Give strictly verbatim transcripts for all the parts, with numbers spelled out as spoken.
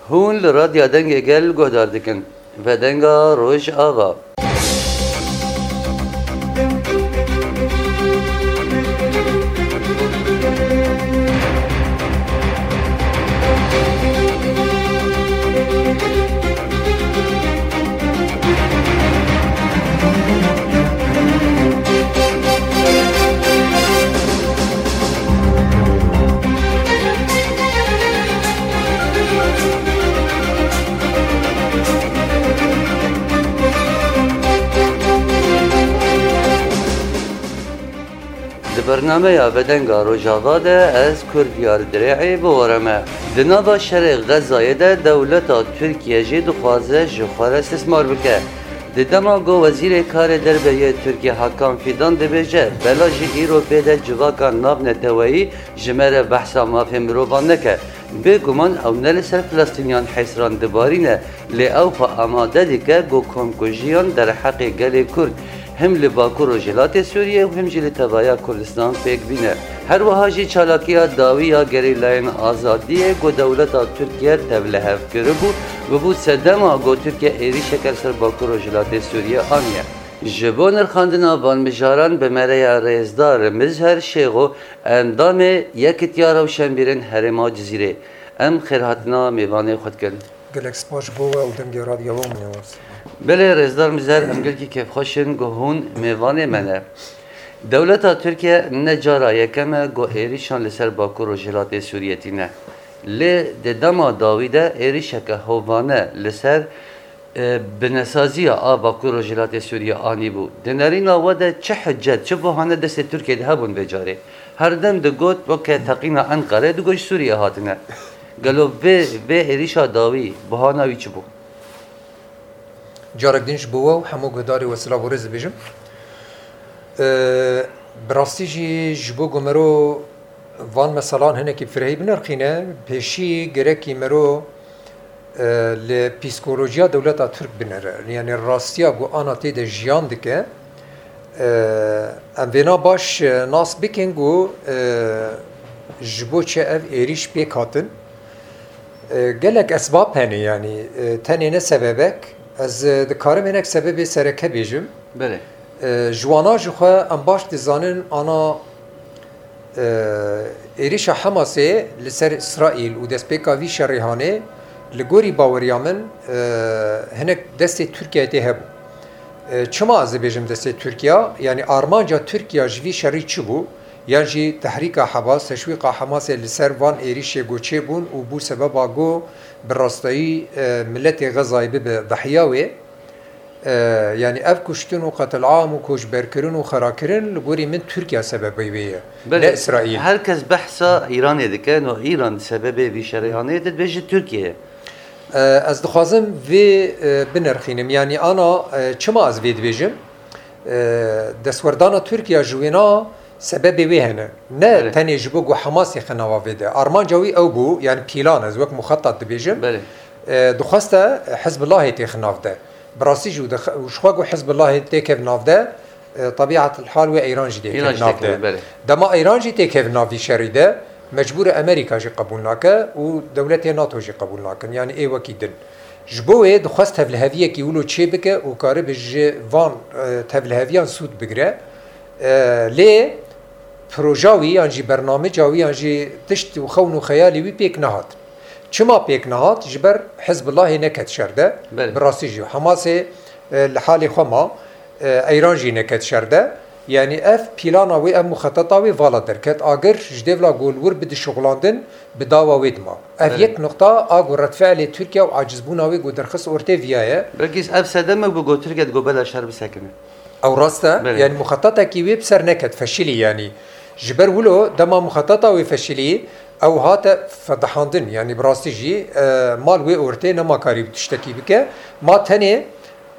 Hûn li Radya Dengê Gel guhdar dikin. Vedenga Rojava. Di bernameya Vedenga Rojava de ez Kurdiyar Dirê'ê bi we re me. Di nava şerê Xezayê de dewleta Tirkiye jî dixwaze ji xwe re istismar bike. Di dema ku Wezîrê Karê Derve yê Tirkiye Hakan Fidan dibêje, bela jî îro bê de civaka navneteweyî ji me re behsa mafê mirovan neke. Bêguman ew ne li ser Filistîniyan hêsran dibarîne, lê ew xwe amade dike ku komkujiyan derheqê gelê Kurd, him li Bakur Rojhilatê Sûriyê û him jî li tevaya Kurdistan pêk bîne. Her wiha jî çalakiya dawî ya gerîlayên azadiyê ku dewleta Tirkiye tevlihev kiribû, bûbû sedema ku Tirkiye êrîşeke li ser Bakur Rojhilatê Sûriyê aniye. Ji bo nirxandina van mijaran bi me re ye rêzdar Mizher Şêxo, endamê Yekitiya Rewşenbîrên Herêma Cizîrê. Em xêrhatina mêvanê xwe dikin. Gelek spas ji bo we û dengê radyoya we, min ewaz. Belê, rêzdar Mizher, em gelkî kêfxweş in ku hûn mêvanê me ne. Dewleta Tirkiye ne cara yekem e ku êrîşan li ser Bakur Rojhilatê Sûriyê tîne. Lê di dema dawî de êrîşeke hovane li ser e, binesaziya a Bakur Rojhilatê Sûriyê anîbû. Di nerîna we de çi hicet, çi buhane destê Tirkiyê de hebûn vê carê? Her dem digot, weke teqîna Enqerê digot ji Sûriyê hatine. Gelo vê, vê êrîşa dawî, buhana wî çi bû? Carek din ji bo we û hemû guhdarê we silav û rêz dibêjim. E, bi rastî jî ji bo ku mero van meselan hinekî firehî binirxîne, pêşî gerekî mero, e, li psîkolojiya dewleta Tirk binere. Yanî rastiya ku ana tê de jiyan dike, e, em vêna baş, e, nas bikin ku, e, ji bo çi ev êrîş pêk hatin. E, gelek esbab hene, yanî, e, tenê ne sebebek. Ez, e, dikarim hinek sebebê sereke bêjim. Belê. E, ji wana ji xwe em baş dizanin ana, e, êrîşa Hemasê li ser Îsraîl û destpêka vî şerê hanê li gorî baweriya min, e, hinek destê Tirkiyeyê tê hebû. E, çima ez dibêjim destê Tirkiya? Yanî armanca Tirkiya ji vî şerî çi bû? Yan jî tehrîka Hemas, teşwîqa Hemasê li ser van êrîşê ku çêbûn û bû sebeba ku bi rastayî, e, miletê Xezayê bibe dehiya wê. E, yanî ev kuştin û qetilam û koçberkirin û xerakirin li gorî min Tirkiye sebebê wê ye, Belê, ne Îsraîl. Her kes behsa Îranê dike, no Îran sebebê vî şerê hanê dibêje Tirkiye ye. E, ez dixwazim vê, e, binirxînim. Yanî ana, e, çima ez vê dibêjim? E, destwerdana Tirkiye ji wêna sebebê wê hene. Ne Belê. Tenê ji bo ku Hemasê xe nava vê de. Armanca wî ew bû, yanî pîlan ez wek muxetat dibêjim. Belê. E, dixweste Hizbulahê têxe nav de. Bi rastî jî û dix-, û ji xwe ku Hizbulahê têkev nav de, e, tebiatil hal wê Îran jî Îran têkev jî nav têkeve, de. Belê. Dema Îran jî têkev nav vî şerî de, mecbûr e Amerîka jî qebûl nake û dewletê NATO jî qebûl nakin. Yanî ê wekî din. Ji bo wê dixwest tevliheviyekî wilo çê bike û karibe ji van, e, tevliheviyan sûd bigire. E, lê proja wî yan jî bernamêca wî yan jî tişt û xewn û xeyalê wî pêk nehat. Çima pêk nehat? Ji ber Hizbullahê neket şer de. Belê. Bi rastî jî Hamasê, e, li halê xwe ma, e, Eyran jî neket şer de. Yanî ev pîlana wê, ev muxeteta wê vala derket. Agir ji dêvla ku li wir bidi şixulandin, bi dawa wê dima. Ev Belê. Yek nuqta a ku redfe'lê Tirkiye û acizbûna wê ku derxist ortê viya ye. Belkî ev sedeme bû ku Tirkiye digot bela şer bisekine. Ew rast e. Belê. Yanî muxetatekî wê bi ser neket, feşilî yanî. Ji ber wilo dema muxeteta wê feşilî, ew hate fedihandin. Yanî bi rastî jî, e, mal wê ortê nema karî tiştekî bike. Ma tenê,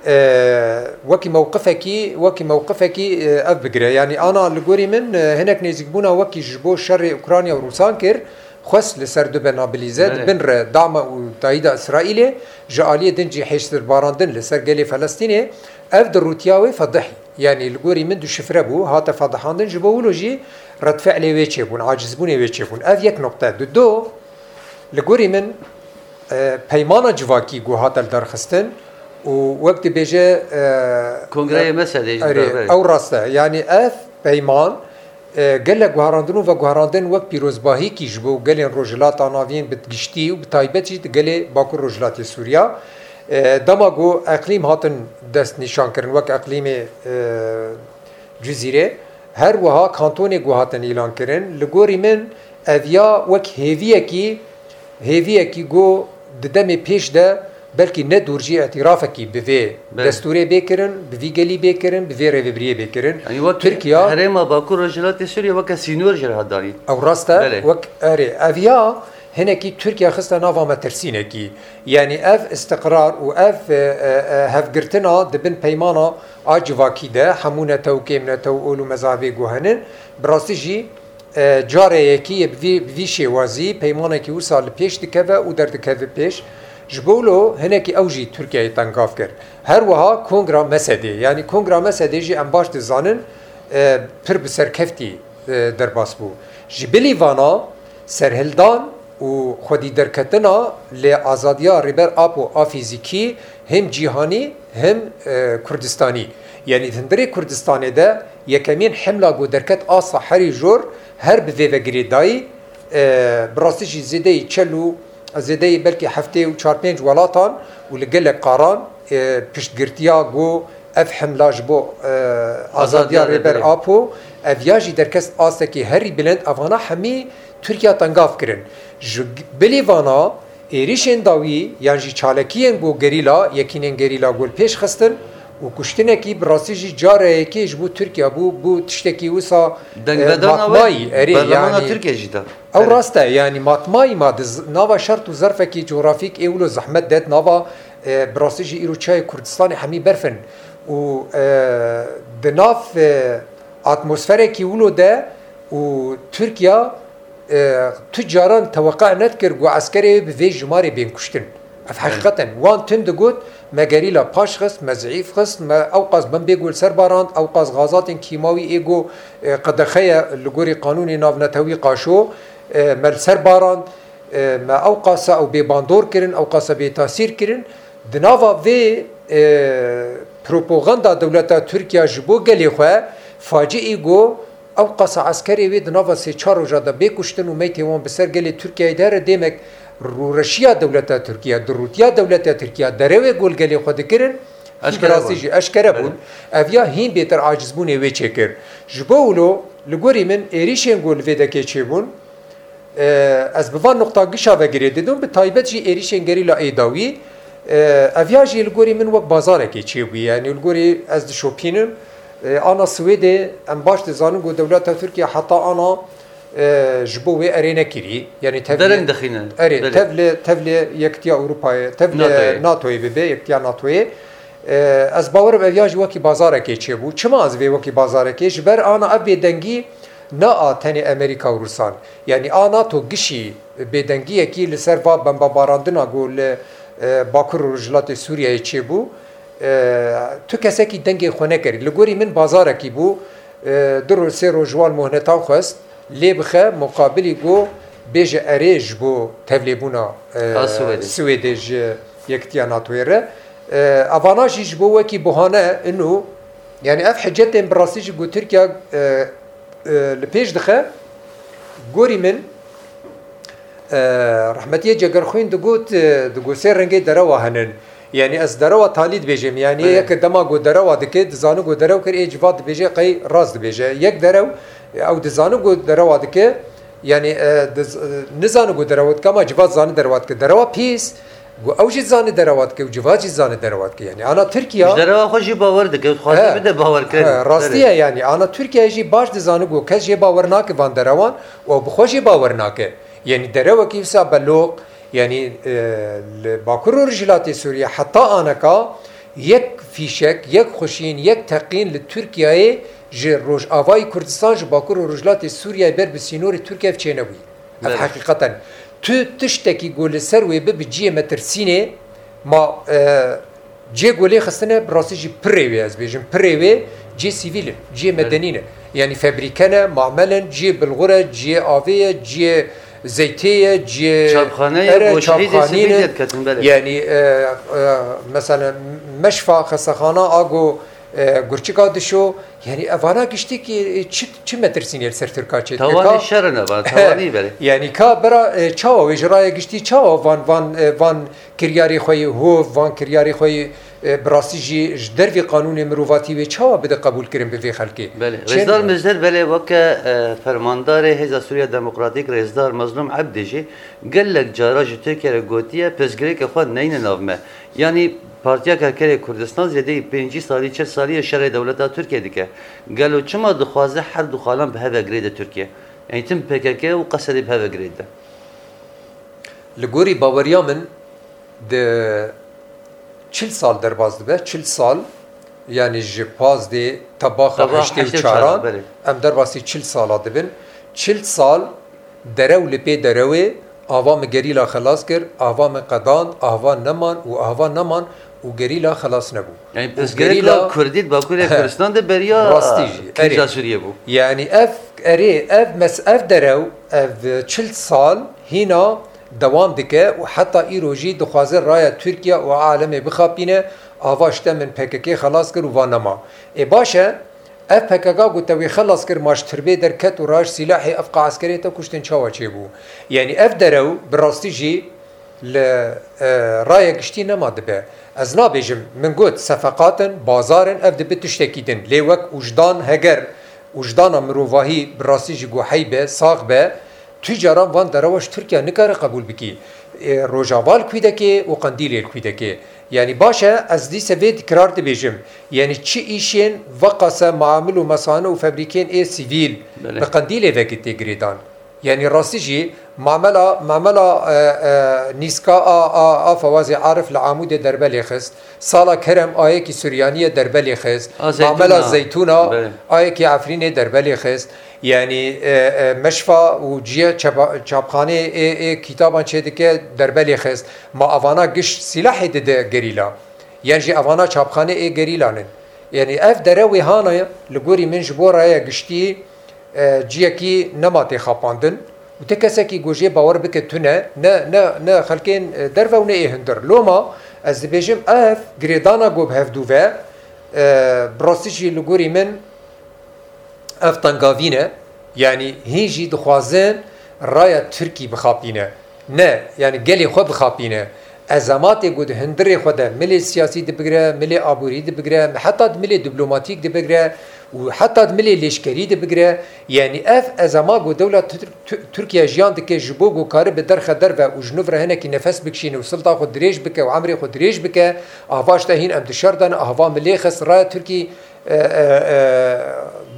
e, wekî mewqifekî, wekî mewqifekî, e, ev bigire. Yanî ana li gorî min, e, hinek nêzîkbûna wekî ji bo şerê Ukrayna û Rûsan kir, xwest li ser dube nabilize, Belê. Di bin re dama û tayîda Îsraîlê, ji aliyê din jî hêştirbarandin li ser gelê Felestînê, ev di rûtiya wê fedihî. Yanî li gorî min duşifre bû, hate fedihandin, ji bo wilo jî redfe'lê wê çêbûn, acizbûnê wê çêbûn. Ev yek noqte. Di do, li gorî min, e, peymana civakî ku hate lidarxistin û wek dibêje, e, Kongreyê e, Mesedê jî erê, berber. Ew rast e. Yanî ev peyman, e, gelek guherandin û veguherandin wek pîrozbahîkî ji bo gelên Rojhilata Navîn bi giştî û bi taybet jî di gelê Bakur Rojhilatê Sûriya. E, dema ku eqlîm hatin destnîşankirin wek eqlîmê, e, Cizîrê, her wiha kantonê ku hatin îlankirin, li gorî min ev ya wek hêviyekî, hêviyekî ku di demê pêş de belkî ne dûr jî îtirafekî bi vê Belê. destûrê bê kirin, bi vî gelî bê kirin, bi vê rêvebiriyê bê kirin. Yanî wek Tirkiye herêma Bakur Rojhilatê Sûriyê weke sînor jî re hat danîn. Ew rast e, Belê. wek erê. Ev ya hinekî Tirkiye xiste nava metirsînekî. Yanî ev îstiqrar û ev, e, e, e, hevgirtina di bin peymana a civakî de hemû netew, kêmnetew, ol û mezabê ku henin, bi rastî jî, e, carê yekî yê bi vî, bi vî şêwazî peymanekî wisa li pêş dikeve û derdikeve pêş. Ji bo wilo hinekî ew jî Tirkiyeyê tengav kir. Her wiha Kongra Mesedê, yanî Kongra Mesedê jî em baş dizanin, e, pir bi serkeftî, e, derbas bû. Ji bilî vana serhildan û xwedî derketina li azadiya Rêber Apo a fîzîkî hem cîhanî hem, e, Kurdistanî. Yanî di hundirê Kurdistanê de yekemîn hemla ku derket asta herî jor her bi vê ve girêdayî, e, bi rastî jî zêdeyî çel û zêdeyî belkî heftê û çar pênc welatan û li gelek qaran, e, piştgirtiya ku ev hemla ji bo, e, azadiya Azadiya Rêber Rêberê. Apo, ev ya jî derkest astekî herî bilind, evana hemî Tirkiye tengav kirin. Ji bilî vana êrîşên dawî yan jî çalakiyên ku gerîla, yekînên gerîla ku li pêş xistin û kuştinekî bi rastî jî careyekê ji bo Tirkiye bû, bû tiştekî wisa, e, Dengvedana matmayî, we erê, berlemana yanî Tirkiye jî da. Ew Erê. rast e, yanî matmayî ma di z-, nava şert û zerfekî cografîk ê wilo zehmet de, di nava, e, bi rastî jî îro çiyayê Kurdistanê hemî berf in û, e, di nav, e, atmosferekî wilo de û Tirkiye, e, tu caran teweqe nedikir ku eskerê wê bi vê jimarê bên kuştin. Ev Belê. heqîqet in. Wan tim digot, me gerîla paş xist, me zeîf xist, me ewqas bombê ku li ser barand, ewqas gazatên kîmawî ê ku, e, qedexe ye li gorî qanûnê navnetewî qaşo, e, me li ser barand, e, me ewqasa ew bêbandor kirin, ewqasa bêtasîr kirin. Di nava vê, e, propaganda dewleta Tirkiye ji bo gelê xwe faciî ku ewqasa eskerê wê di nava sê çar roja de bê kuştin û meytê wan bi ser gelê Tirkiyeyê de here dêmek rûreşiya dewleta Tirkiye, dirûtiya dewleta Tirkiye, derewê ku li gelê xwe dikirin, Eşkere bi rastî bûn. jî eşkere Belê. bûn. Ev ya hîn bêtir acizbûnê wê çêkir. Ji bo wilo, li gorî min êrîşên ku li vê dekê çêbûn, e, ez bi van nuqta gişa ve girê didim, bi taybet jî êrîşên gerîla ê dawî, e, ev ya jî li gorî min wek bazarekê çêbûye. Yanî li gorî ez dişopînim, e, ana Swêdê em baş dizanin ku dewleta Tirkiye heta ana, e, ji bo wê erê nekirî. Yanî tev Dereng lê, dixîne. erê, Belê. tev lê, tev lê Yekitiya Ewropayê, tev lê NATOyê. NATOyê bibe, Yekitiya NATOyê. E, ez bawerim ev ya jî wekî bazarekê çêbû. Çima ez vê wekî bazarekê? Ji ber ana ev bêdengî ne a tenê Amerîka û Rûsan. Yanî a NATO gişî bêdengiyekî li ser va bembebarandina ku li, e, Bakur û Rojhilatê Sûriyeyê çêbû. E, tu kesekî dengê xwe nekirî. Li gorî min bazarekî bû. E, du roj, sê roj ji wan muhnetan xwest. Lê bixe muqabilî ku bêje erê ji bo tevlêbûna, e, A Swêdê. Swêdê ji Yekitiya NATOyê re. E, evana jî ji bo wekî buhane ino, yanî ev hicetên bi rastî jî ku Tirkiye, e, e, li pêş dixe, gorî min, e, rehmetiyê Cegerxwîn digot, e, digot sê rengê derewa henin. Yanî ez derewa talî dibêjim. Yanî Belê. yek dema ku derewa dike, dizani ku derew kir, ê civat dibêje, qey rast dibêje. Yek derew, ew dizani ku derewa dike, yanî, e, diz-, e, nizani ku derewa dike, ama civat zani derewa dike. Derewa pîs, ku ew jî zani derewa dike û civat jî zani derewa dike. Yanî ana Tirkiye Ji derewa xwe jî bawer dike, dixwaze He. bide bawerkirin. He, rastî Belê. ye yanî. Ana Tirkiye jî baş dizani ku kes jê bawer nake van derewan û ew bi xwe jî bawer nake. Yanî derewekî wisa beloq, yanî, e, li Bakur û Rojhilatê Sûriye heta aneka yek fîşek, yek xuşîn, yek teqîn li Tirkiyeyê ji Rojavayî Kurdistan, ji Bakur û Rojhilatê Sûriyeyê ber bi sînorê Tirkiye çênebûyî. Ev Belê. heqîqeten. Tu tiştekî ku li ser wê bibe cihê metirsînê, ma, e, cihê ku lê xistine, bi rastî jî pirê wê ez bêjim. Pirê wê cihê sivîl in, cihê Belê. medenî ne. Yanî febrîke ne, mamel in, cihê bilxur e, cihê avê ye, cihê, Zeytê ye, ciyê Çapxane ye, ere, goşeyê çapxanî sivîl ne. Ye diketin, belê. Yani, e, e, mesela Meşfa xestexana a go, e, Gurçika dişo, yani evana giştî ki, e, çi, çi metirsînê li ser Tirka çê dike? Tawanê Ka şer in evan, tawanî belê. Yani ka bera, e, çawa wê ji raya giştî çawa van, van, e, van kiryarê xwe yê hov, van kiryarê xwe yê, e, bi rastî jî ji dervî qanûnê mirovatî wê çawa bide qebûlkirin bi vê xelkê? Belê. Çend Rêzdar Mizder, belê, weke, e, fermandarê Hêza Sûriya Demokratîk, Rêzdar Mezlûm Ebdî jî gelek cara ji Tirkiye re gotiye, pirsgirêkê xwe neyne nav me. Yanî Partiya Karkerê Kurdistan zêdeyî pêncî salî, çil salî ye şerê dewleta Tirkiye dike. Gelo çima dixwaze her du xalan bi hev ve girêde Tirkiye? Yanî tim P K K û Qesedê bi hev ve girêde. Li gorî baweriya min, di çil sal derbas dibe, çil sal, yani ji pazdê tebaxa Tebaxa heştê û çaran, heştê û çaran, belê. Em derbasî çil sala dibin. Çil sal derew li pê derewê, ava min gerîla xelas kir, ava min qedand, ava neman û ava neman û gerîla xelas nebû. Yani Û pirsgirêka gerîla Kurdî di Bakurê He. Kurdistan de beriya Rastî jî, krîza erê. Sûriyê bû. Yani ev, erê, ev mes-, ev derew, ev çil sal hîna dewam dike û heta îro jî dixwaze raya Tirkiye û alemê bixapîne, ava ji te min P K K xelas kir û va nema. Ê baş e, ev P K K ku te wê xelas kir, ma ji tirbê derket û raj sîlahê ev qa eskerê te kuştin çawa çêbû? Yani ev derew bi rastî jî li, e, raya giştî nema dibe. Ez nabêjim, min got, sefeqat in, bazar in, ev dibe tiştekî din. Lê wek wijdan, heger wijdana mirovahî bi rastî jî guhey be, sax be, tu caran van derewa ji Tirkiye nikare qebûl bikî. E, Rojava li kwî dekê û Qendîlê li kwî dekê. Yani baş e, ez dîse vê dikrar dibêjim. Yani çi îşên veqase maamil û mesane û febrîkên ê sivîl Belê. Bi Qendîlê vekî tê girêdan. Yani rastî jî mamela, mamela, e, e, nîska a, a, a Fewazê Arif li Amûdê derbe lê xist. Sala Kerem ayekî Suryaniyê derbe lê xist. A Zeytûna. Mamela Zeytûna Belê. Ayekî Efrînê derbe lê xist. Yani, e, e, meşfa û ciye çapa-, çapxanê ê, ê kitaban çêdike derbe lê xist. Ma avana giş sîlahê dide gerîla. Yan jî avana çapxanê ê gerîlan in. Yani ev dere wê hana ye, li gorî min ji bo raya giştî, e, ciyekî nema tê xapandin û ti kesekî ku jê bawer bike tune, ne, ne, ne xelkên, e, derve û ne ê hundir. Loma ez dibêjim ev girêdana ku bi hevdû ve, e, bi rastî jî li gorî min ev tengavîn e. Yani hîn jî dixwazin raya Tirkî bixapîne. Ne, yani gelê xwe bixapîne. Ezematê ku di hundirê xwe de milê siyasî dibigire, milê aborî dibigire, heta di milê diplomatîk dibigire û heta di milê lêşkerî dibigire. Yani ev ezema ku dewla Tir-, Tu-, Tirkiye jiyan dike ji bo ku karibe derxe derve û ji nû re hinekî nefes bikişîne û silta xwe dirêj bike û emrê xwe dirêj bike, ava ji te hîn em di şer de ne, ava milê xist raya Tirkî, e, e, e,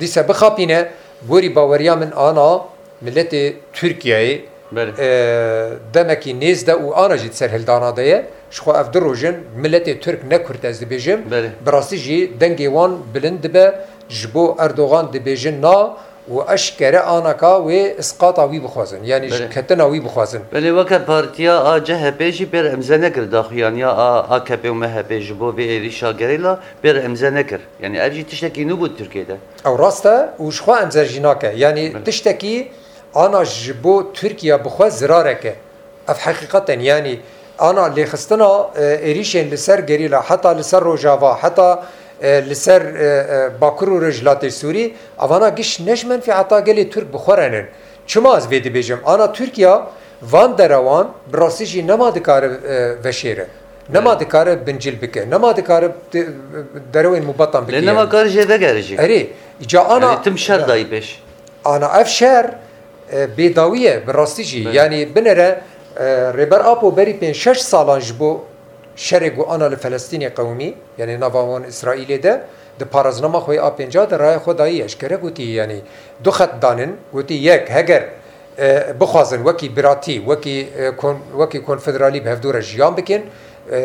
dîse bixapîne. Gorî baweriya min ana miletê Tirkiyeyê Belê. E, demekî nêz de û ana jî di serhildana de ye. Ji xwe ev du roj in, miletê Tirk ne Kurd ez dibêjim. Belê. Bi rastî jî dengê wan bilind dibe. Ji bo Erdogan dibêjin na û eşkere anaka wê isqata wî bixwazin. Yani ji Belê. Ketina wî bixwazin. Belê, weke partiya a C H P jî pêr imze nekir daxuyaniya a AKP û MHP ji bo vê êrîşa gerîla pêr imze nekir. Yani ev jî tiştekî nû bû Tirkiyê de. Ew rast e û ji xwe imze jî nake. Yani Belê. Tiştekî ana ji bo Tirkiye bi xwe zirarek e. Ev heqîqeten, yanî ana lêxistina, e, êrîşên li ser gerîla, heta li ser Rojava, heta, e, li ser, e, e, Bakur û Rojhilatê Sûrî, evana giş ne ji menfîeta gelê Tirk bi xwe re nin. Çima ez vê dibêjim? Ana Tirkiya van derewan bi rastî jî nema dikare, e, veşêre. Nema Evet. dikare bincil bike. Nema dikare de-, derewên mubetan bike Lê nema yani. kar jê vegere jî. Erê, îca ana Yani tim şer dayî pêş. Ana ev şer, e, bêdawî ye, bi rastî jî. Belê. Yanî binêre, e, Rêber Apo berî pênc şeş salan ji bo şerê ku ana li Felestînê qewimî, yanî nava wan Îsraîlê de, di paraznama xwe yê a pênca de raya xwe dayî, eşkere gotî, yanî du xet danin, gotî yek, heger, e, bixwazin wekî biratî, wekî, e, kon-, wekî konfederalî bi hevdû re jiyan bikin, e,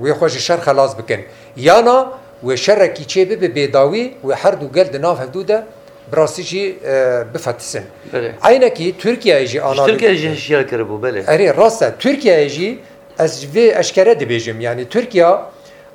wê xwe ji şer xelas bikin. Yana wê şerekî çê bibe bêdawî, wê her du gel di nav hevdû de bi rastî jî, e, bifetisin. Belê. Eynekî Tirkiyeyê jî Ji ana Tirkiye jî hişyar kiribû, belê. Erê, rast e. Tirkiyeyê jî ez vê eşkere dibêjim. Yanî Tirkiya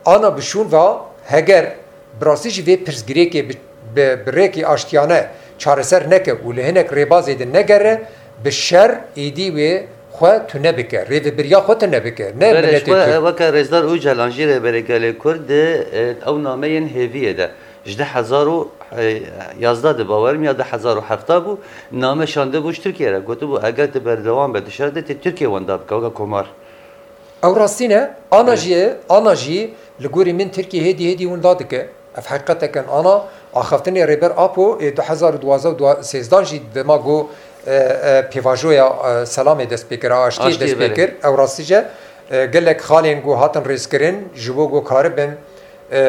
ana bi şûn va heger bi rastî jî vê pirsgirêkê bi, bi, bi rêkê aştiyane çareser neke û li hinek rêbazê de negere, Bi şer êdî wê xwe tune bike, rêvebiriya xwe tune bike. Ne Belê, miletê ji we, Tirk. Weke Rêzdar Ocalan jî rêberê gelê Kurd di, e, ew nameyên hêviyê de. Ji du hezar û yazdeh de bawerim ya du hezar û hevdeh bû, name şandibû ji Tirkiye re. Gotibû, eger tu berdewam be di şer de, tê Tirkiye wenda bike, weke komar. Ew rastî ne. Ana Evet. jî, ana jî li gorî min Tirkiye hêdî hêdî winda dike. Ev heqîqeteke ana axaftinê Rêber Apo ê du hezar û duwazdeh û sêzdeh jî dema got, e, e, pêvajoya, e, selamê dest pê kir, a aştiyê Aştiyê, dest pê belê. kir. Ew rastî jî, e, gelek xalên got hatin rêzkirin, ji bo got karibin, e, e,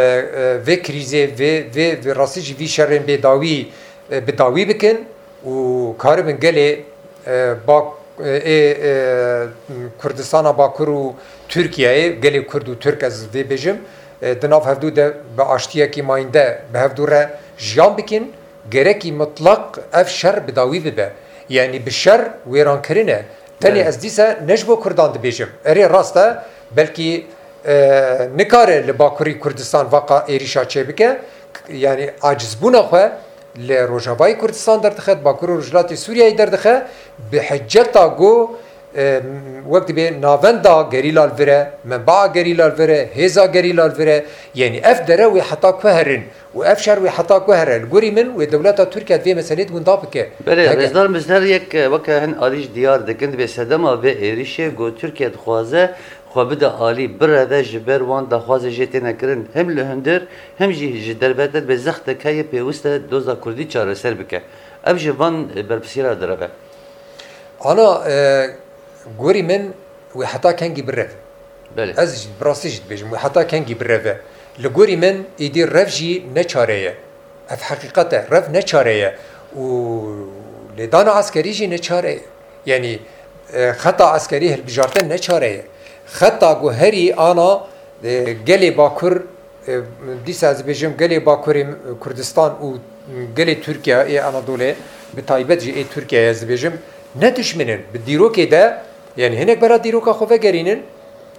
vê krîzê, vê, vê, vê rastî jî vî şerên bêdawî, e, bi dawî bikin û karibin gelê, e, Bak-, e, ê, e, Kurdistana Bakur û Tirkiyeyê, gelê Kurd û Tirk ez vê bêjim, e, di nav hevdû de bi aştiyekî mayînde bi hevdû re jiyan bikin, gerekî mutlaq ev şer bi dawî bibe. Yanî bi şer wêrankirin e. Tenê Belê. ez dîse ne ji bo Kurdan dibêjim. Erê rast e, belkî, e, nikare li Bakurî Kurdistan vaqa êrîşa çêbike. K-, yanî acizbûna xwe li Rojavayê Kurdistan derdixe, di Bakur û Rojhilatê Sûriyeyê derdixe, bi hiceta ku, e, wek dibê navenda gerîla li vir e, menbaa gerîla li vir e, hêza gerîla li vir e. Yanî ev dere wê heta ku herin û ev şer wê heta ku here. Li gorî min wê dewleta Tirkiye di vê meselê de winda bike. Belê, Heke- Rêzdar, min ji her yek, e, weke hin alî jî diyar dikin, dibê sedema vê êrîşê ku Tirkiye dixwaze xwe bide alî, bireve ji ber wan daxwazê jê têne kirin, him li hundir, him jî ji dervete dibê zextek heye pêwist e doza Kurdî çareser bike. Ev ji van, e, berpirsiyara direve. Ana, e, gorî min wê heta kengî bireve. Belê. Ez jî, bi rastî jî dibêjim, wê heta kengî bireve. Li gorî min, îdî rev jî ne çare ye. Ev heqîqet e, rev ne çare ye. Û lêdana eskerî jî ne çare ye. Yanî, e, xeta eskerî hilbijartin ne çare ye. Xeta ku herî ana, e, gelê Bakur, e, dîsa ez dibêjim, gelê Bakurê Kurdistan û gelê Tirkiye, ê Anadolê, bi taybet jî ê Tirkiyeyê ez dibêjim, ne dijmin in. Bi dîrokê de, yanî hinek bera dîroka xwe vegerînin,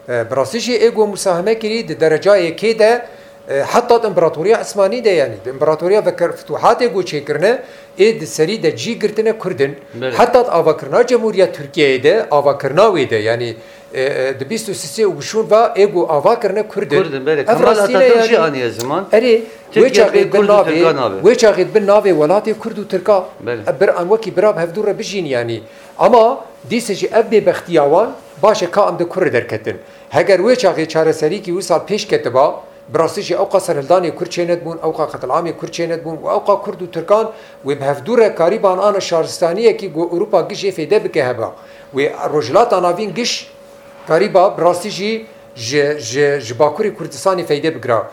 e, bi rastî jî ê ku musaheme kirî di dereca yekê de, e, heta di împaratoriya Osmanî de, yanî di împaratoriya veker-, fituhatê ku çêkirine, ê di serî de cî girtine Kurd in. Belê. Heta di avakirina Cemhuriya Tirkiyeyê de, avakirina wê de, yanî, e, e, di bîst û sisê û bişûn ve ê ku ava kirine Kurd in. Kurd in, belê. Ev Kemal rastî ne Atatürk jî yanî. aniye ziman. Erê, wê Tirkiye çaxê bê bin Kurd û navê, Tirkan nabe. wê çaxê bin navê welatê Kurd û Tirka. Belê. E, bir an wekî bira bi hevdû re bijîn yanî. Ama dîse jî ev bêbextiya wan baş e ka em di kur re derketin. Heger wê çaxê çareserîkî wisal pêş ketiba, bi rastî jî ewqa serhildanê Kurd çênedibûn, ewqa qetilamê Kurd çênedibûn û ewqa Kurd û Tirkan wê bi hevdû re karîban ana şaristaniyekî ku Ewropa giş jê feyde bike heba. Wê Rojhilata Navîn giş karîba bi rastî jî ji, ji, ji Bakurê Kurdistanê feyde bigira.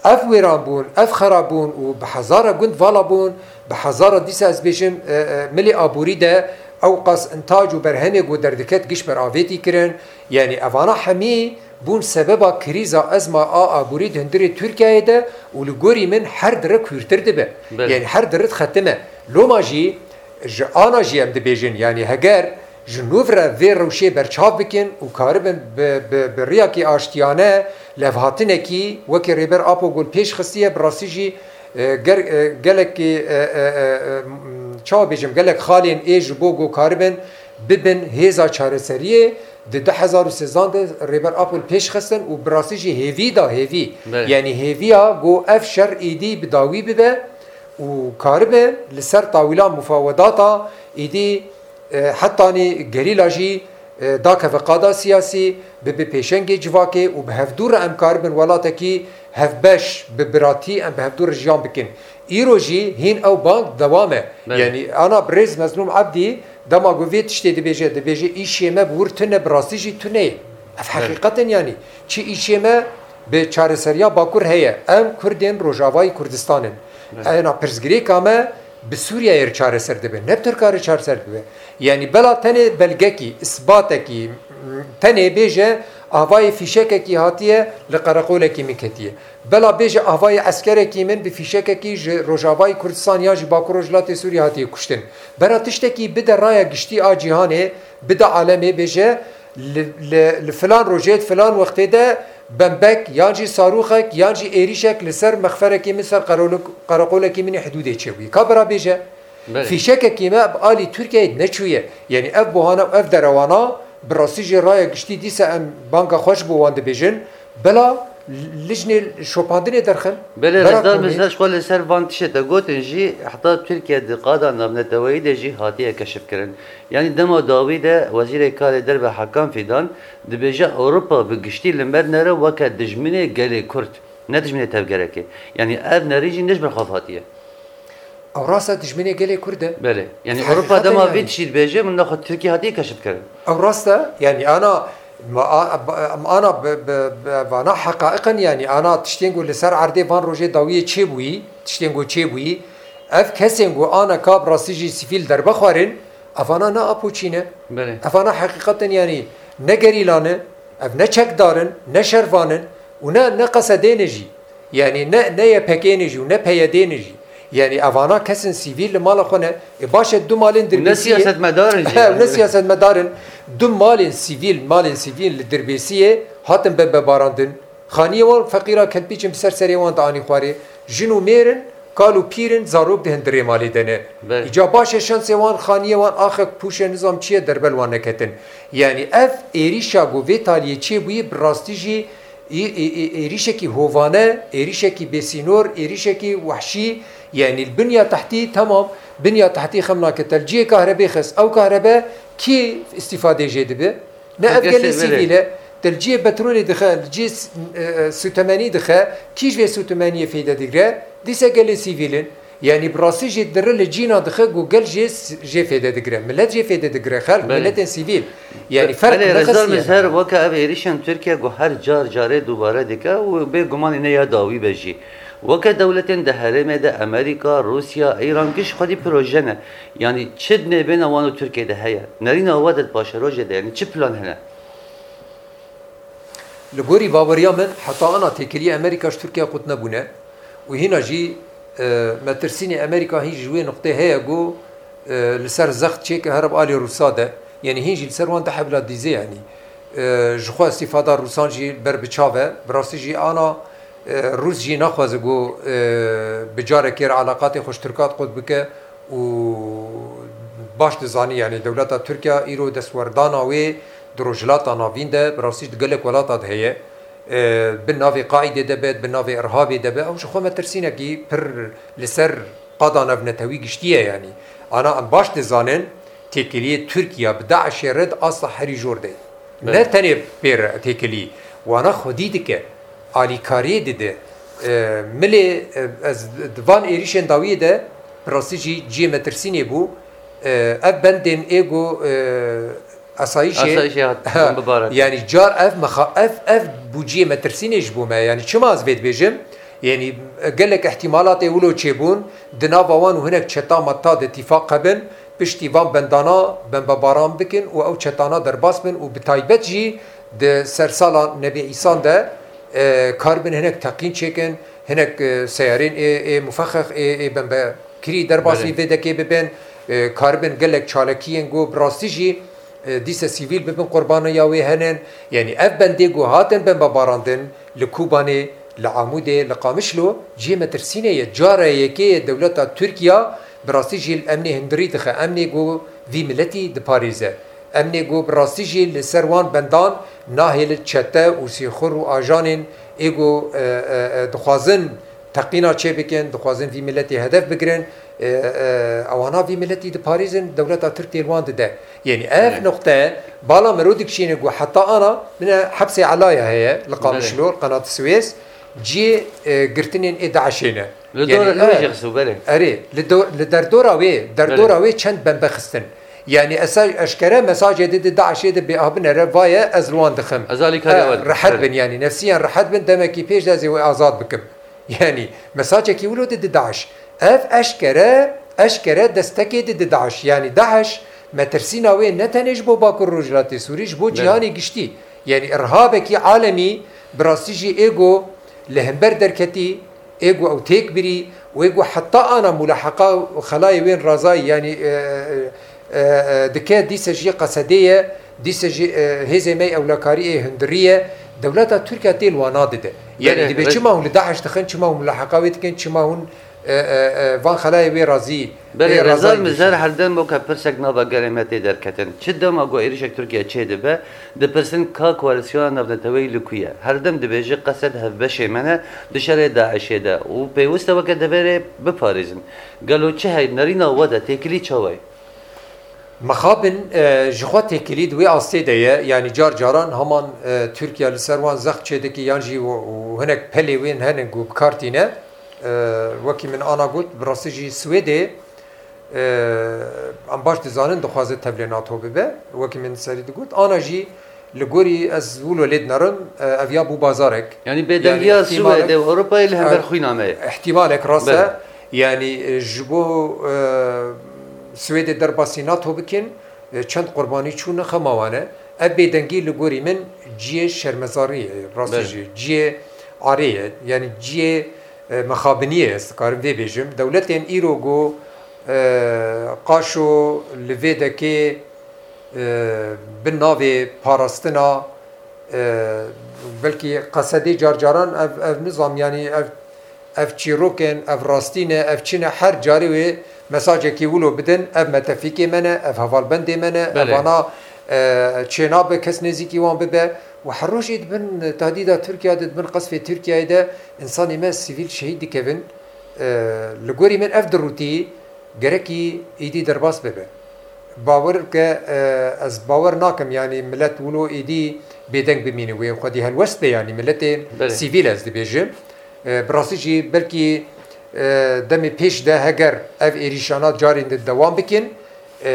Ev wêranbûn, ev xerabûn û bi hezara gund vala bûn, bi hezara dîsa ez bêjim, e, e, milê aborî de ewqas intac û berhemê ku derdiket giş ber avêtî kirin. Yanî evana hemî bûn sebeba krîza ezma a aborî di hundirê Tirkiyeyê de û li gorî min her dire kûrtir dibe. Belê. Yanî her dire dixetime. Loma jî ji ana jî em dibêjin, yanî heger ji nû re vê rewşê berçav bikin û karibin bi, bi, bi riyakî aştiyane levhatinekî wekî Rêber Apo Gul pêş xistiye, bi rastî jî, e, ger-, e, gelekî, e, e, e, e, m-, çawa bêjim, gelek xalên ê ji bo ku karibin bibin hêza çareseriyê di du hezar û sêzdeh de Rêber Apo li pêş xistin û bi rastî jî hêvî da, hêvî. Belê. Yanî hêviya ku ev şer êdî bi dawî bibe û karibe li ser tawîla mufawedata êdî, e, hetanî gerîla jî, e, dakeve qada siyasî, bibe pêşengê civakê û bi hevdû re em karibin welatekî hevbeş, bi biratî em bi hevdû re jiyan bikin. Îro jî hîn ew bang dewam e. Belê. Yanî ana birêz Mezlûm Ebdî dema ku vê tiştê dibêje, dibêje îşê me bi wir tune, bi rastî jî tune ye. Ev Belê. heqîqet in yanî. Çi îşê me bi çareseriya Bakur heye. Em Kurdên Rojavayê Kurdistan in. Belê. Ena pirsgirêka me bi Sûriyeyê re çareser dibe. Ne bi Tirka re çareser dibe. Yanî bela tenê belgekî, isbatekî, tenê bêje avayê fîşekekî hatiye li qereqolekî min ketiye. Bela bêje avayê eskerekî min bi fîşekekî ji Rojavayê Kurdistan yan jî Bakur Rojhilatê Sûriyê hatiye kuştin. Bera tiştekî bide raya giştî a cîhanê, bide alemê bêje li, li, li filan rojê, di filan wextê de bembek yan jî sarûxek yan jî êrîşek li ser mexferekî min, ser qerolek-, qereqolekî min ê hidûdê çêbûyî. Ka bira bêje, Belê. Fîşekekî me bi alî Tirkiyeyê neçûye. Yanî ev buhane û ev derewana bi rastî jî raya giştî dîsa em banga xwe ji bo wan dibêjin. Bila lijnê şopandinê derxin. Belê, Rêzdar Mizraş xwe li ser van tiştê te gotin jî, heta Tirkiye di qada navneteweyî de jî hatiye keşifkirin. Yanî dema dawî de Wezîrê Karê Derve Hakan Fîdan dibêje Ewropa bi giştî li me nere weke dijminê gelê Kurd, ne dijminê tevgerekê. Yanî ev nerîn jî ne ji ber xwe hatiye. Ew rast e, dijminê gelê Kurd e. Belê. Yanî Ewropa dema vî tiştî dibêje, min naxwe Tirkiye hatiye keşifkirin. Ew rast e, yanî ana, ma-, a-, ba-, ana bi, bi, bi, vana heqaiq in, yanî ana tiştên ku li ser erdê van rojê dawiyê çêbûyî, tiştên ku çêbûyî, ev kesên ku ana ka bi rastî jî sivîl derbexwerin, evana ne apoçî ne. Belê. Evana heqîqet in, yanî ne gerîla ne, ev ne çekdar in, ne şervan in û ne, ne Q S D ne jî. Yanî ne, ne Y P G ne jî û ne P Y D ne jî. Yanî evana kesên sivîl li mala xwe ne. E, baş e, du malên Dirbêsiyê. Ne siyasetmedar in jî. Ew ne siyasetmedar in. Du malên sivîl, malên sivîl li Dirbêsiyê hatin bembebarandin. Xaniyê wan feqîra kelpîç in, bi ser serê wan de anî xwarê. Jin û mêr in, kal û pîr in, zarok di hundirê malê de ne. Belê. Îca baş e, şensê wan, xaniyê wan, axek, pûşe, nizam çi ye, derbe li wan neketin. Yanî ev êrîşa ku vê taliyê çêbûyî bi rastî jî ê-, ê-, ê-, êrîşekî hovane, êrîşekî bêsînor, êrîşekî wehşî, yanî li binya tehtî, temam, binya tehtî xem nake. Te li cihê kahrebê xist, ew kahrebe kî îstîfadê jê dibe? Ne ev gelê sivîl e. Te li cihê petrolê dixe, li cihê s-, e, e, sûtemenî dixe, kî ji vê sûtemeniyê fêde digre? Dîse gelê sivîl in. Yanî bi rastî jî dire li cîna dixe ku gel jê s-, jê fêde digire. Milet jê fêde digire, xelk, Belê. miletên sivîl. Yanî Be-, ferq belê, ne Rêzdar xistî ye. Mizher, weke ev êrîşên Tirkiye ku her car carê dubare dike û bê gumanî ne ya dawî be jî. Weke dewletên di herêmê de Amerîka, Rûsya, Îran giş xwedî proje ne. Yanî çi di nêbêna wan û Tirkiye de heye? Nerîna we de di paşerojê de, yanî çi plan hene? Li gorî baweriya min, heta ana têkiliyê Amerîka ji Tirkiye qut nebûne û hîna jî, e, metirsînê Amerîka hîn ji wê nuqtê heye ku, e, li ser zext çêke here bi alî Rûsa de, yanî hîn jî li ser wan dihebila dîzê, yanî, e, ji xwe îstîfada Rûsan jî ber bi çav e. Bi rastî jî ana, e, Rûs jî naxwaze ku, e, bi carekê re eleqatê xwe ji Tirkan qut bike û baş dizanî, yanî dewleta Tirkiye îro destwerdana wê di Rojhilata Navîn de, bi rastî di gelek welata de heye. E, bi navê Qaîdê de be, bi navê Irhabê de be, ew ji xwe metirsînekî pir li ser qada navnetewî giştî ye, yanî. Ana em baş dizanin, têkiliyê Tirkiye bi DAIŞê re di asta herî jor de ye. Belê. Ne tenê pê re têkilî, wana xwedî dike, alîkariyê dide. E, milê, e, ez di van êrîşên dawiyê de bi rastî jî cihê metirsînê bû. E, ev bendên ê ku, e, asayîşê, Asayîşê hat, Ha, bimbibaran. yanî car ev mexa-, ev, ev bû cihê metirsînê ji bo me. Yanî çima ez vê dibêjim? Yanî gelek îhtîmalatê wilo çêbûn, di nava wan û hinek çeta meta de tîfaq hebin, piştî van bendana bembebaran bikin û ew çetana derbas bin û bi taybet jî di sersala Nebî Îsan de, e, karibin hinek teqîn çêkin, hinek, e, seyarên ê, ê mufexex, ê, ê bembekirî derbasî Belê. vê dekê bibin, e, karibin gelek çalakiyên ku bi rastî jî, e, dîse sivîl bibin qurbaniya wê henin. Yanî ev bendê ku hatin bembebarandin li Kobanê, li Amûdê, li Qamişlo cihê metirsînê ye. Cara yekê ye dewleta Tirkiye bi rastî jî li emnê hundirî dixe. Emnê ku vî miletî diparêze. Emnê ku bi rastî jî li ser wan bendan nahêlin çete û sîxur û ajanên ê ku, e, e, e, dixwazin teqîna çêbikin, dixwazin vî miletê hedef bigirin, e, e, ewana vî miletî diparêzin, dewleta Tirk tê li wan dide. Yanî ev Belê. nuqte bala mero dikişîne ku heta ana bine hepsê Elaya heye li Qamişlo, Belê. Qenat Swês, cihê, e, girtinên ê DAIŞê ne. Li Yanî, dor-, li e, wê jî xistû, belê. Erê, li do-, li derdora wê, derdora Belê. wê çend bembe xistin. Yanî esa-, eşkere mesajê dide DAIŞê de bê abinere vaye ez li wan dixim. Ez alîkariya E, we dikim. rehet Belê. bin, yanî nefsiyan rehet bin, demekî pêş de ez ê wê azad bikim. Yanî mesajekî wilo dide DAIŞ. Ev eşkere, eşkere destekê dide DAIŞ. Yanî DAIŞ metirsîna wê ne tenê ji bo Bakur Rojhilatê Sûrî, ji bo Belê. cîhanê giştî. Yanî irhabekî alemî bi rastî jî ê ku li hember derketî, ê ku ew têk birî û ê ku heta ana mulaheqa û xelayê wên razayî, yanî, e, e, e, e, dike, dîse jî Q S D'ê ye, dîse jî, e, hêzê me yê ewlekarî ê hundirî ye, dewleta Tirkiye tê li wana dide. Yanî Belê, dibê belê. çima hûn li DAIŞ dixin, çima hûn mulaheqa wê dikin, çima hûn, e, e, e, van xelayê wê razî, Belê, wê Rêzdar razayî Mizer dikî. Her dem weke pirsek nava gelê me tê derketin. Çi dema ku êrişek Tirkiye çêdibe, dipirsin ka koalîsyona navneteweyî li ku ye? Her dem dibêje qesed hevbeşê me ne di şerê DAIŞê de û pêwist e weke deverê biparêzin. Gelo çi hey nerîna we de têkilî çawa ye? Mixabin, e, ji xwe têkilî di wê astê de ye. Yanî car caran heman, e, Tirkiye li ser wan zext çêdike yan jî û, û hinek pelê wên hene ku bi kar tîne. E, wekî min ana got, bi rastî jî Swêdê, e, em baş dizanin dixwaze tevlê NATO bibe. Wekî min serî digot, ana jî li gorî ez wilo lê dinerim, e, ev ya bû bazarek. Yanî bêdengiya Swêdê û Ewropayê li hember xwîna me ye. Îhtimalek rast e. Belê. Yanî, e, ji bo, e, Swêdê derbasî NATO bikin, e, çend qurbanî çûne xema wan e. Ev bêdengî li gorî min cihê şermezariyê ye, rastî Belê. jî cihê arê ye. Yanî cihê, e, mixabiniyê ye, ez dikarim vê bêjim. Dewletên îro ku, e, qaşo li vê dekê, e, bi navê parastina, e, belkî qesedê car caran ev, ev nizam, yanî ev, ev çîrokên, ev rastî ne, ev çi ne, her carê wê mesajekî wilo bidin, ev metefîkê me ne, ev hevalbendê me ne, Belê. evana, e, çênabe kes nêzîkî wan bibe. Û her rojê di bin tehdîda Tirkiye de, di bin qesfê Tirkiyeyê de însanê me sivîl şehîd dikevin. E, li gorî min ev dirûtî gerekî êdî derbas bibe. Bawer bike, e, ez bawer nakim, yanî milet wilo êdî bêdeng bimîne, wê xwedî helwest be, yanî miletê Belê. sivîl ez dibêjim. E, bi rastî jî belkî, e, demê pêş de heger ev êrîşana carên din dewam bikin, e,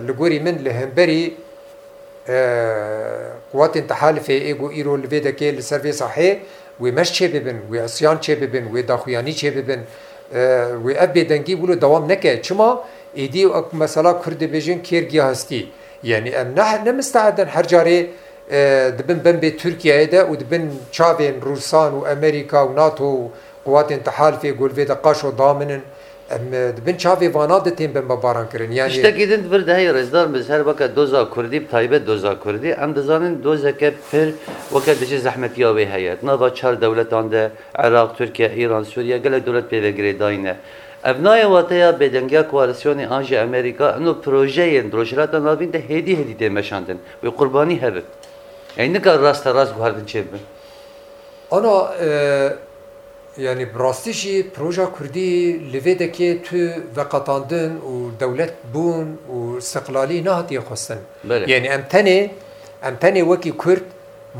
li gorî min li hemberî, e, quwatên tehalifê ê ku îro li vê dekê li ser vê sahê wê meş çêbibin, wê isyan çêbibin, wê daxuyanî çêbibin, e, wê ev bêdengî wilo dewam neke. Çima? Êdî wek mesela Kurd dibêjin kêr giya hestî. Yanî em ne, ne misteed in her carê, e, di bin bembê Tirkiyeyê de û di bin çavên Rûsan û Amerîka û NATO û quwatên tehalifê ku li vê de qaşo daminin, em, e, di bin çavê vana de tên bembebaran kirin. Yanî Tiştekî din di vir de heye, Rêzdar Mizer, weke doza Kurdî, bi taybet doza Kurdî, em dizanin dozeke pir weke dijî zehmetiya wê heye. Di nava çar dewletan de, Iraq, Tirkiye, Îran, Sûriye, gelek dewlet pê ve girêdayî ne. Ev nayê wateya bêdengiya koalîsyonê an jî Amerîka, ino projeyên di Rojhilata Navîn de hêdî hêdî tê meşandin. Wê qurbanî hebin. Yanî nikare raste rast guhertin çêbibin. Ana, e, yanî bi rastî jî proja Kurdî li vê dekê tu veqetandin û dewlet bûn û istiqlalî nehatiye xwestin. Belê. Yanî em tenê, em tenê wekî Kurd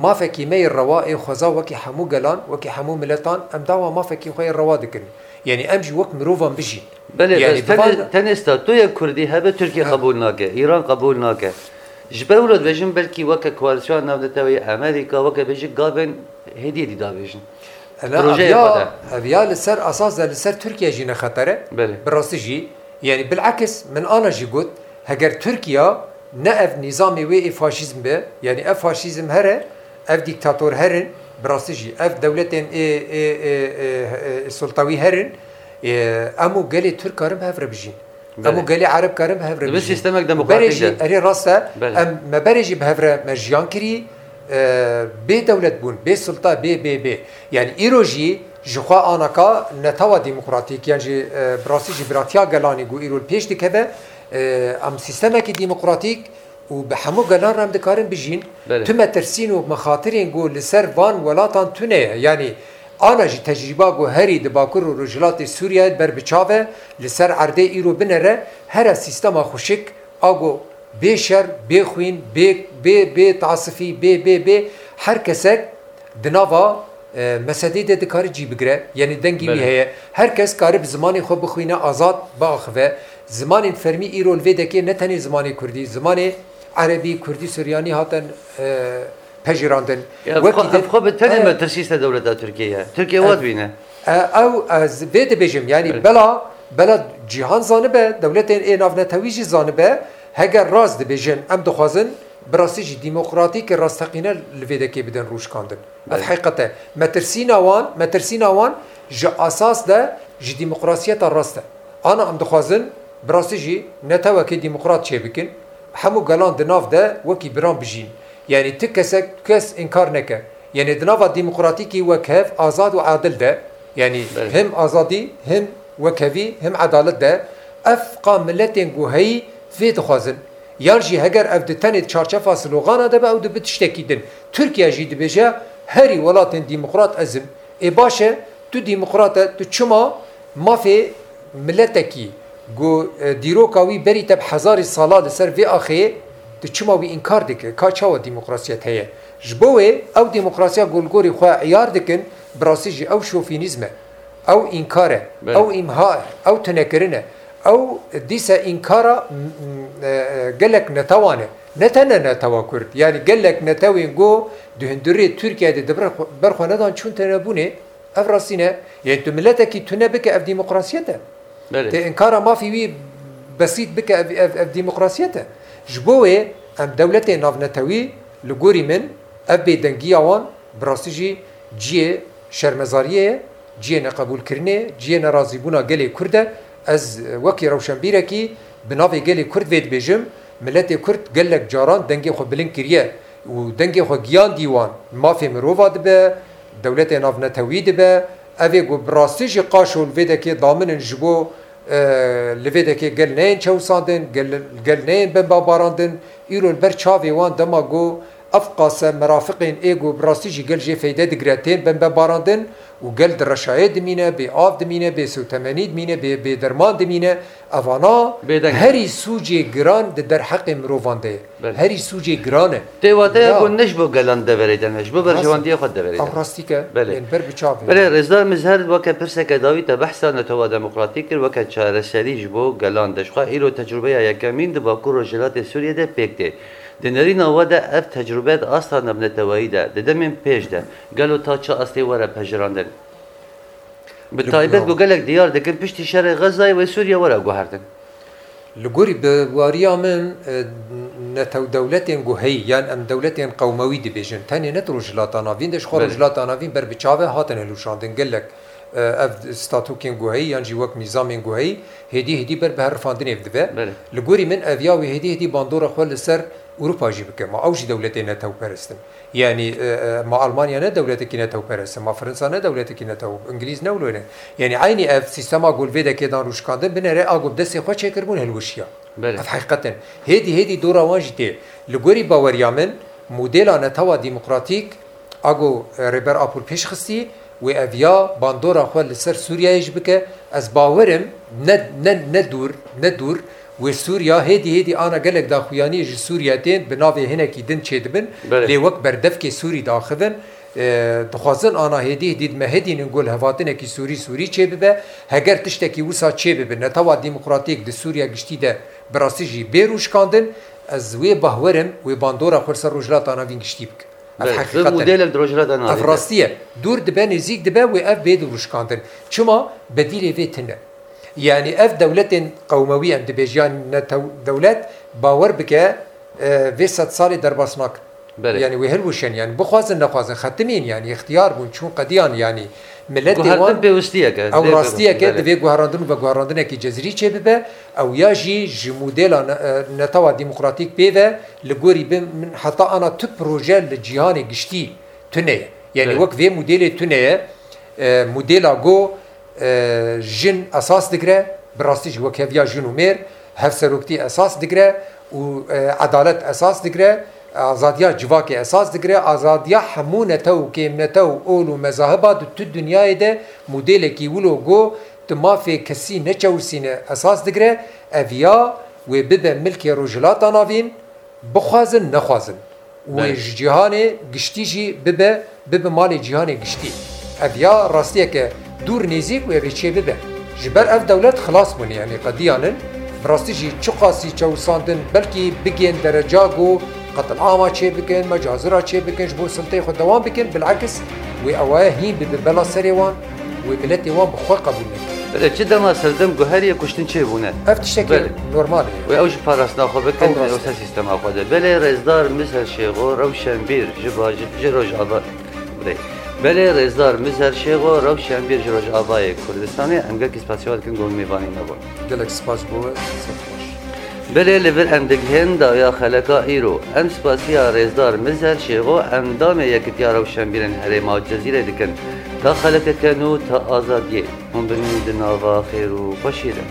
mafekî me yê rewa ê xweza wekî hemû gelan, wekî hemû miletan em dawa mafekî xwe yê rewa dikin. Yanî em jî wek mirovan bijîn. Belê, Yanî bes bi tenê, van tenê statuya Kurdî hebe Tirkiye Ha. qebûl nake, Îran qebûl nake. Ji ber wilo dibêjin belkî weke koalîsyona navneteweyî Amerîka, weke bêjin gavên hêdî hêdî davêjin. Ena Projeyê ev ya, xwe de. ev ya li ser esas de li ser Tirkiye jî ne xeter e. Belê. Bi rastî jî, yanî bilekis min ana jî got, heger Tirkiye ne ev nîzamê wê ê faşîzm be, yanî ev faşîzm here, ev dîktator herin, bi rastî jî ev dewletên ê, ê, ê, ê, ê, sultawî herin, ê, em û gelê Tirk karin bi hev re bijîn. Em Belê. û gelê Ereb karin bi hev re Di bin bijîn. sistemek Û demokratîk berê jî, de. erê rast e, Belê. em, me berê jî bi hev re me jiyan kirî, e, bê dewlet bûn, bê sulta, bê, bê, bê. Yanî îro jî ji xwe anaka netewa demokratîk, yan jî, e, bi rastî jî biratiya gelanî ku îro li pêş dikeve, e, em sîstemekî demokratîk û bi hemû gelan re em dikarin bijîn. Belê. Tu metirsîn û mexatirên ku li ser van welatan tune ye. Yanî ana jî tecrîba ku herî di Bakur û Rojhilatê Sûriyeyê ber bi çav e, li ser erdê îro binere, here sîstema xweşik, a ku bê şer, bê xwîn, bê, bê, bê tasifî, bê, bê, bê, her kesek di nava, e, mesedê de dikare cî bigire, yanî dengî wî Belê. heye. Her kes kare bi zimanê xwe bixwîne, azad biaxive. Zimanên fermî îro li vê dekê ne tenê zimanê kurdî, zimanê erebî, kurdî, suryanî hatin, e, pejirandin. Ya, Wekî ev xwe, din, ev xwe bi tenê e, metirsî ser dewleta Tirkiye ye. Tirkiye e, wat bîne. e, ew, ez vê dibêjim, yanî Belê. bela, bela cîhan zanibe, dewletên ê navnetewî jî zanibe, heger rast dibêjin, em dixwazin bi rastî jî demokratîk rasteqîne li vê dekê bidin rûşkandin. Ev Belê. heqîqet e. Metirsîna wan, metirsîna wan ji esas de ji demokrasiyeta rast e. Ana em dixwazin bi rastî jî netewekê demokrat çêbikin. Hemû gelan di nav de wekî biran bijîn. Yanî ti kesek, kes înkar neke. Yanî di nava demokratîkî wek hev, azad û adil de, yanî Belê. hem azadî, hem Wekevî him edalet de ev qa miletên ku heyî vê dixwazin. Yan jî heger ev di tenê di çarçefa slogana de be, ew dibe tiştekî din. Tirkiye jî dibêje, herî welatên demokrat ez im. Ê baş e, tu demokrat e, tu çima mafê miletekî ku, e, dîroka wî berî te bi hezarî sala li ser vê axê, tu çima wî înkar dike? Ka çawa demokrasiyet heye? Ji bo wê ew demokrasiya ku li gorî xwe îyar dikin, bi rastî jî ew şofînîzm e. Ew înkar e, Belê. ew îmha e, ew tunekirin e. Ew dîse înkara, m-, m-, e, e, gelek netewan e. Ne tene netewa Kurd. Yanî gelek netewên ku di hundirê Tirkiye de di ber xwe, ber xwe nedan çûn tenebûnê. Ev rastî ne. Yanî tu miletekî tune bike, ev demokrasiyet e. Belê. Tê înkara mafî wî besît bike, ev, ev, ev demokrasiyet e. Ji bo wê em dewletê navnetewî, li gorî min, ev bêdengiya wan bi rastî jî cihê şermezariyê ye, cihê neqebûlkirinê ye, cihê nerazîbûna gelê Kurd e. Ez, e, wekî rewşenbîrekî bi navê gelê Kurd vê dibêjim, miletê Kurd gelek caran dengê xwe bilind kiriye û dengê xwe giyandî wan, mafê mirova dibe, dewletê navnetewî dibe. Ev ê ku bi rastî jî qaşo li vê dekê daminin ji bo, e, li vê dekê gel neyên çewsandin, gel, gel neyên bembabarandin. Îro li ber çavê wan dema ku ev qase merafiqên ê ku bi rastî jî gel jê feyde digire tên bembabarandin û gel di reşayê dimîne, bê av dimîne, bê sewtemenî dimîne, bê, bê derman dimîne. Evana Bêdeng. herî sûcê giran di derheqê mirovan de ye. Belê. Herî sûcê giran e. Tê wateya Ya. ku ne ji bo gelan deverê de ne, ji bo Rast. berjewendiyê xwe deverê de. Ew rastî ke Belê. bên ber bi çavê. Belê, Rêzdar Mizher weke pirseke dawî te behsa netewa demokratîk kir, weke çareserî ji bo gelan de. Ji xwe îro tecrûbeya yekemîn di Bakur Rojhilatê Sûriyê de pêk tê. Di nerîna we de ev tecrûbe di asta navneteweyî de, di demên pêş de, gelo ta çi astê were pejirandin? Bi Li taybet gor- ku gelek diyar dikin, piştî şerê Xezayê wê Sûriye were guhertin. Li gorî bi wariya min, e, netew dewletên ku heyî, yan em dewletên qewmewî dibêjin, tenê ne di Rojhilata Navîn de, ji xwe Belê. Rojhilata Navîn ber bi çav e hatin hilûşandin. Gelek, e, ev statûkên ku heyî, yan jî wek nîzamên ku heyî, hêdî hêdî ber bi hev rifandinê dibe. Belê. Li gorî min ev ya wê hêdî hêdî bandora xwe li ser Ewropa jî bike. Ma ew jî dewletê netewperest in. Yanî, e, e, ma Almanya ne dewletekî netewperest e, ma Fransa ne dewletekî netew, Îngilîz ne wilo ne. Yanî eynî ev sîstema ku li vê dekê dan rûşkandin, binêre a ku bi destê xwe çêkiribûn hilweşiya. Belê. Ev heqîqet in. Hêdî hêdî dora wan jî tê. Li gorî baweriya min, modela netewa demokratîk, a ku, e, Rêber Apo li pêş xistî, wê ev ya bandora xwe li ser Sûriyeyê jî bike. Ez bawer im ne, ne, ne dûr, ne dûr, wê Sûriya hêdî hêdî ana gelek daxuyaniyê ji Sûriye tên bi navê hinekî din çêdibin, Belê. lê wek berdevkê Sûrî diaxivin. E, dixwazin ana hêdî hêdî di me hedînin ku lihevhatinekî Sûrî Sûrî çêbibe. Heger tiştekî wisa çêbibe, netewa demokratîk di Sûriye giştî de bi rastî jî bê rûşkandin, ez wê bahwer im, wê bandora xwe li ser Rojhilata Navîn giştî bike. Ev Belê, heqîqet e. modelek di Rojhilata Navîn Ev de. rastî ye. Dûr dibe, nêzîk dibe, wê ev bê dirûşkandin. Çima? Bedîlê vê tune. Yanî ev dewletên qewmewî em dibêjin, yan netew dewlet, bawer bike, e, vê sed salê derbas nakin. Belê. Yanî wê hilwişin, yanî bixwazin nexwazin, xetimîn, yanî îxtiyar bûn, çûn qediyan, yanî miletê Guhertin wan pêwistiyek e, Ew lê rastiyek e, pêwist-, belê. divê guherandin û veguherandinekî cezirî çêbibe. Ew ya jî ji modela ne-, e, netewa demokratîk pê ve, li gorî bin min heta ana tu proje li cîhanê giştî tune ye. Yanî Evet. wek vê modêlê tune ye, e, modêla go, e, jin esas digire, bi rastî jî wek heviya jin û mêr, hevseroktî esas digire û, e, edalet esas digire, azadiya civakê esas digire, azadiya hemû netew û kêmnetew, ol û mezahiba di tu dinyayê de modêlekî wilo go tu mafê kesî neçewisîne esas digire, ev ya wê bibe milkê Rojhilata Navîn, bixwazin nexwazin. Wê Belê. ji cîhanê giştî jî bibe, bibe malê cîhanê giştî. Ev ya rastiyeke dûr nêzîk wê vê çê bibe. Ji ber ev dewlet xilas bûne, yanî qediyanin. Bi rastî jî çiqasî çewisandin, belkî bigên dereca ku qetilama çê bikin, mecazira çê bikin, ji bo silteyê xwe dewam bikin, bilekis wê ewaye hîn bibe bela serê wan, wê miletê wan bi xwe qebûl nekin. Belê, çi dema serdem guheriyê kuştin çêbûne. Ev tiştekî Belê. normal e. Wê ew ji parastina xwe bikin, Ew rast e. wê ser sîstema xwe de. Belê, rêzdar Mizer Şêxo, rewşenbîr, ji baji-, ji Rojava-, Belê. Belê, rêzdar Mizer Şêxo, rewşenbîr ji Rojavayê Kurdistanê, em gelkî spasiya we dikin ku hûn mêvanî me bûn. Gelek spas bo we, ser baş. Belê, li vir em digihên dawiya xeleka îro. Em spasiya rêzdar Mizer Şêxo, endamê Yekitiya Rewşenbîrên Herêma Cezîrê dikin. Ya xelekeke nû ta azadiyê, hûn bimînin di nava xêr û xweşiyê de.